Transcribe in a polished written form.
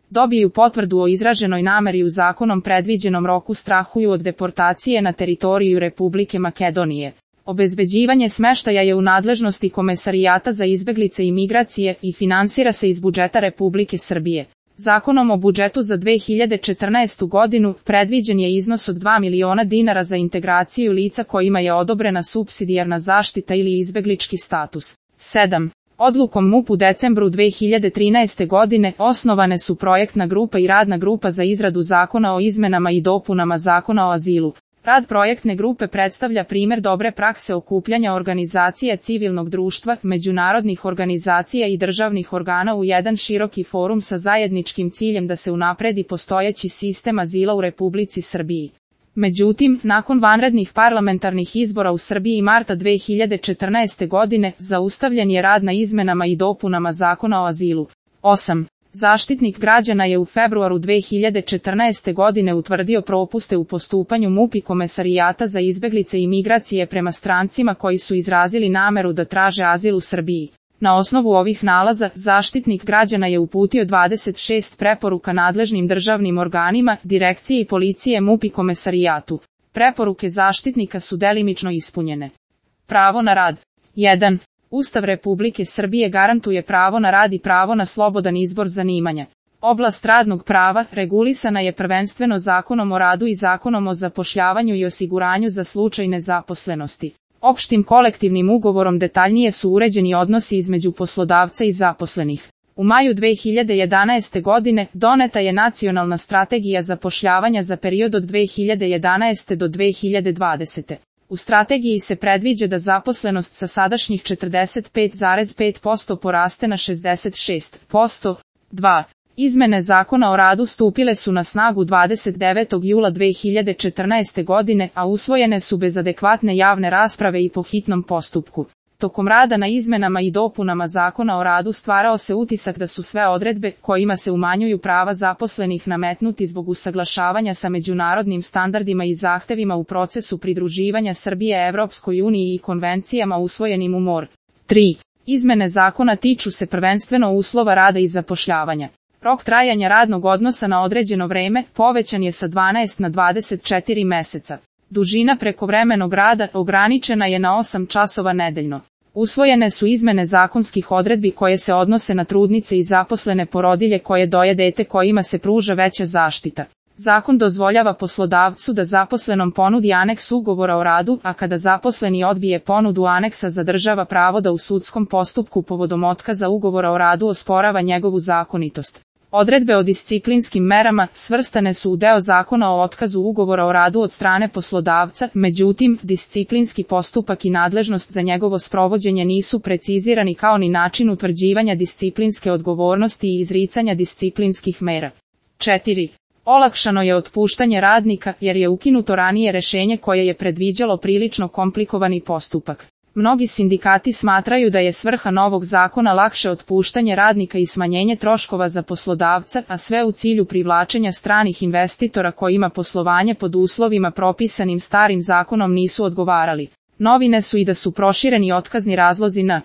dobiju potvrdu o izraženoj nameri u zakonom predviđenom roku strahuju od deportacije na teritoriju Republike Makedonije. Obezbeđivanje smeštaja je u nadležnosti Komesarijata za izbeglice i migracije i finansira se iz budžeta Republike Srbije. Zakonom o budžetu za 2014. godinu predviđen je iznos od 2 miliona dinara za integraciju lica kojima je odobrena supsidijarna zaštita ili izbeglički status. 7. Odlukom MUP u decembru 2013. godine osnovane su projektna grupa i radna grupa za izradu zakona o izmenama i dopunama Zakona o azilu. Rad projektne grupe predstavlja primer dobre prakse okupljanja organizacija civilnog društva, međunarodnih organizacija i državnih organa u jedan široki forum sa zajedničkim ciljem da se unapredi postojeći sistem azila u Republici Srbiji. Međutim, nakon vanrednih parlamentarnih izbora u Srbiji marta 2014. godine, zaustavljen je rad na izmenama i dopunama Zakona o azilu. 8. Zaštitnik građana je u februaru 2014. godine utvrdio propuste u postupanju MUP i Komesarijata za izbeglice i migracije prema strancima koji su izrazili nameru da traže azil u Srbiji. Na osnovu ovih nalaza, Zaštitnik građana je uputio 26 preporuka nadležnim državnim organima, direkcije i policije MUP i Komesarijatu. Preporuke Zaštitnika su delimično ispunjene. Pravo na rad. 1. Ustav Republike Srbije garantuje pravo na rad i pravo na slobodan izbor zanimanja. Oblast radnog prava regulisana je prvenstveno Zakonom o radu i Zakonom o zapošljavanju i osiguranju za slučaj nezaposlenosti. Opštim kolektivnim ugovorom detaljnije su uređeni odnosi između poslodavca i zaposlenih. U maju 2011. godine doneta je Nacionalna strategija zapošljavanja za period od 2011. do 2020. U strategiji se predviđa da zaposlenost sa sadašnjih 45,5% poraste na 66%. 2. Izmene Zakona o radu stupile su na snagu 29. jula 2014. godine, a usvojene su bez adekvatne javne rasprave i po hitnom postupku. Tokom rada na izmenama i dopunama Zakona o radu stvarao se utisak da su sve odredbe, kojima se umanjuju prava zaposlenih, nametnuti zbog usaglašavanja sa međunarodnim standardima i zahtevima u procesu pridruživanja Srbije Evropskoj uniji i konvencijama usvojenim u MOR. 3. Izmene zakona tiču se prvenstveno uslova rada i zapošljavanja. Rok trajanja radnog odnosa na određeno vreme povećan je sa 12 na 24 meseca. Dužina prekovremenog rada ograničena je na 8 časova nedeljno. Usvojene su izmene zakonskih odredbi koje se odnose na trudnice i zaposlene porodilje koje doje dete kojima se pruža veća zaštita. Zakon dozvoljava poslodavcu da zaposlenom ponudi aneks ugovora o radu, a kada zaposleni odbije ponudu aneksa zadržava pravo da u sudskom postupku povodom otkaza ugovora o radu osporava njegovu zakonitost. Odredbe o disciplinskim merama svrstane su u deo Zakona o otkazu ugovora o radu od strane poslodavca, međutim, disciplinski postupak i nadležnost za njegovo sprovođenje nisu precizirani kao ni način utvrđivanja disciplinske odgovornosti i izricanja disciplinskih mera. 4. Olakšano je otpuštanje radnika jer je ukinuto ranije rešenje koje je predviđalo prilično komplikovani postupak. Mnogi sindikati smatraju da je svrha novog zakona lakše otpuštanje radnika i smanjenje troškova za poslodavca, a sve u cilju privlačenja stranih investitora kojima poslovanje pod uslovima propisanim starim zakonom nisu odgovarali. Novine su i da su prošireni otkazni razlozi na